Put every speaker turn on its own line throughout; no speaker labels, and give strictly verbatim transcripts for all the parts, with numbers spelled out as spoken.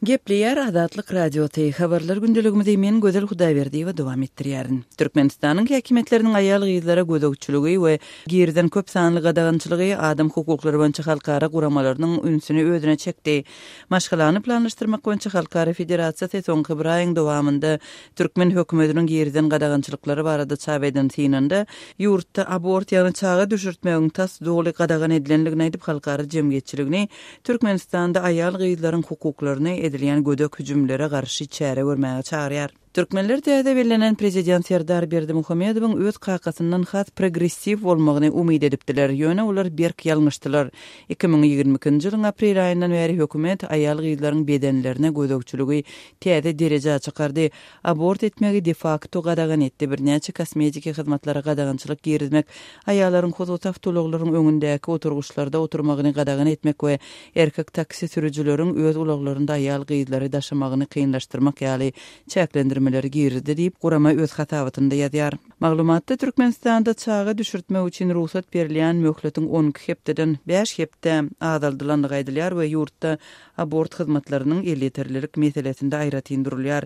Gepleýär Azatlyk Radiosy. Habarlar gündeligimizi men Gözel Hudaýberdiýewa dowam etdirýärin. Türkmenistanyň häkimiýetleriniň aýal-gyzlara gözegçiligi we girizen köp sanly gadagançylygy adam hukuklary boýunça halkara guramalarynyň ünsüni özüne çekdi. Maşgalany planlaşdyrmak boýunça Halkara federasiýasy soňky bir aýyň dowamynda türkmen hökümetiniň girizen gadagançylyklary barada çap eden synynda ýurtda abort ýagny çaga düşürtmegiň tas doly gadagan edilendigini aýdyp halkara jemgyýetçiligini Türkmenistanda aýal-gyzlaryň hukuklaryny edilýän gödek hüjümlere garşy çäre görmäge çagyrýar. Türkmenler täze bellenen prezident Serdar Berdimuhamedowyň öz kakasyndan has progressiw bolmagyny umyt edipdiler. Ýöne olar berk ýalňyşdylar. iki müň ýigrimi ikinji ýylyň aprel aýyndan bäri hökümet aýal-gyzlaryň bedenlerine gözegçiligi täze derejä çykardy. Abort etmegi de facto gadagan etdi. Birnäçe kosmetiki hyzmatlara gadagançylyk girizmek, aýallaryň hususy awtoulaglaryň öňündäki oturgyçlarda oturmagyny gadagan etmek we erkek taksi sürüjileriň öz ulaglarynda aýal-gyzlary daşamagyny kynlaşdyrmak ýaly çäklendirmeleri girizdi diýip, gurama öz hasabatynda ýazýar. Maglumatda Türkmenistanda çaga düşürtmek üçin rugsat berilýän möhletiň on iki hepdeden bäş hepde azaldylandygy aýdylýar we ýurtda abort hyzmatlarynyň elýeterlilik meselesinde aýratyn durulýar.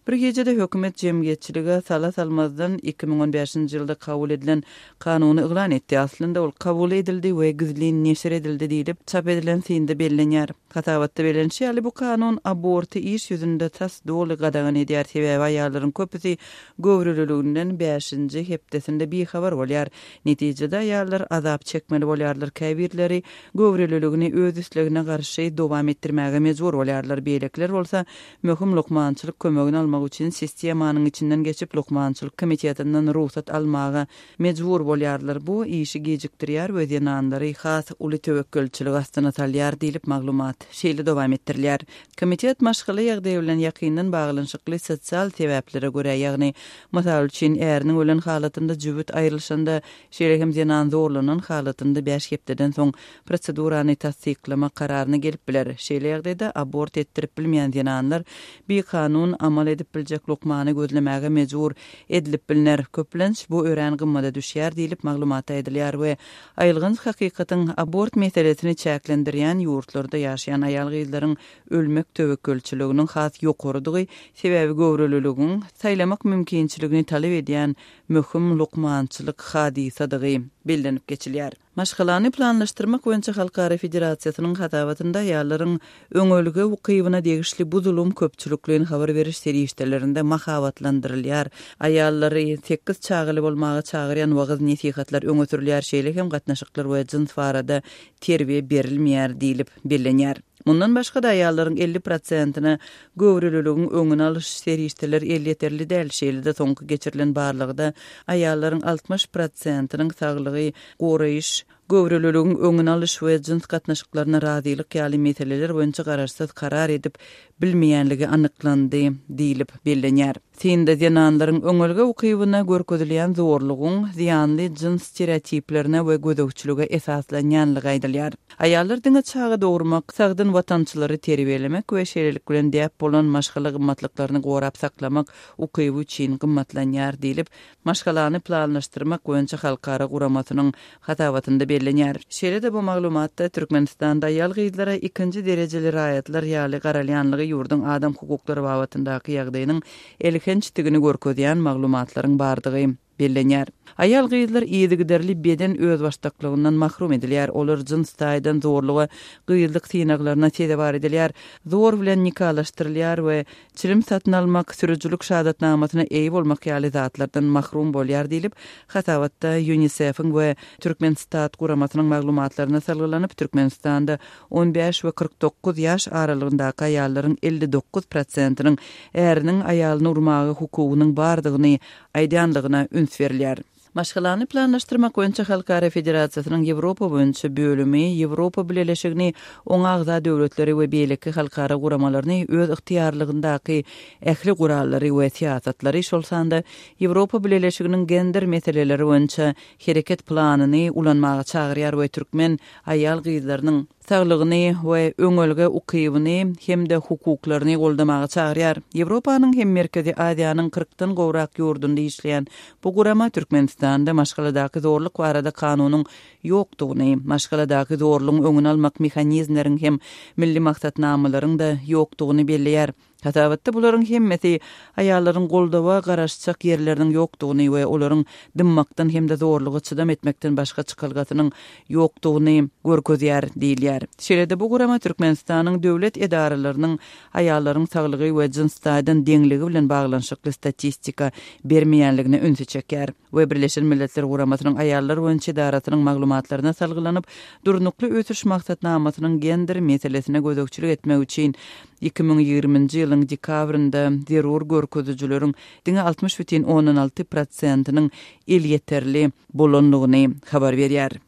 Bir gecede hökümet jemgyýetçilige sala salmazdan iki müň on bäşinji ýylda kabul edilen kanuny yglan etdi. Aslynda ol kabul edildi we gizlin neşir edildi diýlip çap edilen synda bellenýär. Hasabatda bellenişi ýaly bu kanun aborty iş ýüzünde tas doly gadagan edýär. Sebäbi aýallaryň köpüsi göwreliliginden bäşinji hepdesinde bihabar bolýar. Netijede aýallar azap çekmeli bolýarlar. Käbirleri göwreliligini öz islegine garşy dowam etdirmäge mejbur bolýarlar. Beýlekiler bolsa möhüm lukmançylyk kömegini almak üçin sistemanyň içinden geçip lukmançylyk komitetinden rugsat almaga mejbur bolýarlar. Bu işi gecikdirýär we zenanlary has uly töwekgelçilik astyna salýar diýlip maglumat şeýle dowam etdirilýär. Komitet maşgala ýagdaýy bilen ýakyndan baglanyşykly sosial sebäplere görä, ýagny mysal üçin äriniň ölen halatynda jübüt aýrylyşanda, şeýle hem zenan zorlanan halatynda bäş hepdeden soň prosedurany tassyklama kararyna gelip biler. Şeýle ýagdaýda abort etdirip bilmeýän zenanlar bir kanun amal edip biljek lukmany gözlemäge mejbur edilip bilner. Köplenç bu örän gymmada düşýär diýlip maglumat aýdylýar we aýylganç hakykatyň abort meselesini çäklendirýän ýurtlarda ýaşaýan aýal-gyzlaryň ölmek töwekgelçiliginiň has ýokarydygy, sebäbi göwreliligiň saýlamak mümkinçiligini talap edýän möhüm lukmançylyk hadysadygy bellenip geçilýär. Maşgalany planlaşdyrmak boýunça Halkara Federasiýasynyň hasabatynda aýallaryň öňelge ukybyna degişli bu zulum köpçülikleýin habar beriş serişdelerinde mahabatlandyrylýar. Aýallary sekiz çagaly bolmaga çagyrýan wagyz nesihatlar öňe sürülýär, şeýle hem gatnaşyklar we jyns barada terbiýe berilmeýär diýlip bellenýär. Mundan başga da aýallaryň elli prosentine göwreliligiň öňüni alyş serişdeler elýeterli däl, şeýle-de soňky geçirilen barlagda aýallaryň altmyş prosentiniň saglygy goraýyş, göwreliligiň öňüni alyş we jyns gatnaşyklaryna razylyk ýaly meseleler boýunça garaşsyz karar edip bilmeýänligi anyklandy diýlip bellenýär. Synda zenanlaryň öňelge ukybyna görkezilýän zorlugyň zyýanly jyns stereotiplerine we gözegçilige esaslanýanlygy aýdylýar. Aýallar diňe çaga dogurmak, sagdyn watançylary terbiýelemek we şeýlelik bilen däp bolan maşgala gymmatlyklaryny gorap saklamak ukyby üçin gymmatlanýar diýlip, maşgalany planlaşdyrmak boýunça halkara guramasynyň hasabatynda bellenýär. Şeýle-de bu maglumatda Türkmenistanda aýal-gyzlara ikinji derejeli raýatlar ýaly garalýanlygy ýurduň adam hukuklary babatyndaky ýagdaýynyň elhençdigini görkezýän maglumatlaryň bardygy bellenýär. Aýal-gyzlar yzygiderli beden özbaşdaklygyndan mahrum edilýär. Olar jyns taýdan zorluga, gyzlyk synaglaryna sezewar edilýär. Zor bilen nikalaşdyrylýar we çilim satyn almak, sürüjilik şahadatnamasyna eýe bolmak ýaly zatlardan mahrum bolýar diýlip, hasabatda UNICEF-iň we Türkmenstat guramasynyň maglumatlaryna salgylanyp, Türkmenistanda on bäş we kyrk dokuz ýaş aralygyndaky aýallaryň elli dokuz prosentiniň äriniň aýalyny urmaga hukugynyň bardygyny aýdýanlygyna üns berilýär. Maşgalany planlaşdyrmak boýunça Halkara Federasiýasynyň Ýewropa boýunça bölümi Ýewropa Bileleşigini, oňa agza döwletleri we beýleki halkara guramalaryny öz ygtyýarlygyndaky ähli gurallary we syýasatlary, şol sanda Ýewropa Bileleşiginiň gender meseleleri boýunça hereket planyny ulanmaga çagyrýar we türkmen aýal-gyzlarynyň saglygyny we öňelge ukybyny hem-de hukuklaryny goldamaga çagyrýar. Ýewropanyň hem Merkezi Aziýanyň kyrkdan gowrak ýurdunda işleýän bu gurama Türkmenistanyň Türkmenistanda maşgaladaky zorluk barada kanunyň ýokdugyny, maşgaladaky zorlugyň öňüni almak mehanizmleriň hem milli maksatnamalaryň-da ýokdugyny belleýär. Hasabatda bularyň hemmesi aýallaryň goldawa garaşjak ýerleriniň ýokdugyny we olaryň dymmakdan hem-de zorluga çydam etmekden başga çykalgasynyň ýokdugyny görkezýär diýilýär. Şeýle-de bu gurama Türkmenistanyň döwlet edaralarynyň aýallaryň saglygy we jyns taýdan deňligi bilen baglanyşykly statistika bermeýänligine ünsi çekýär we Birleşen Milletler Guramasynyň aýallar boýunça edarasynyň maglumatlaryna salgylanyp, durnukly ösüş maksatnamasynyň gender meselesine gözegçilik etmek üçin iki müň ýigriminji ýylyň dekabrynda zerur görkezijileriň diňe altmyş bütin ondan alty prosentiniň elýeterli bolandygyny habar berýär.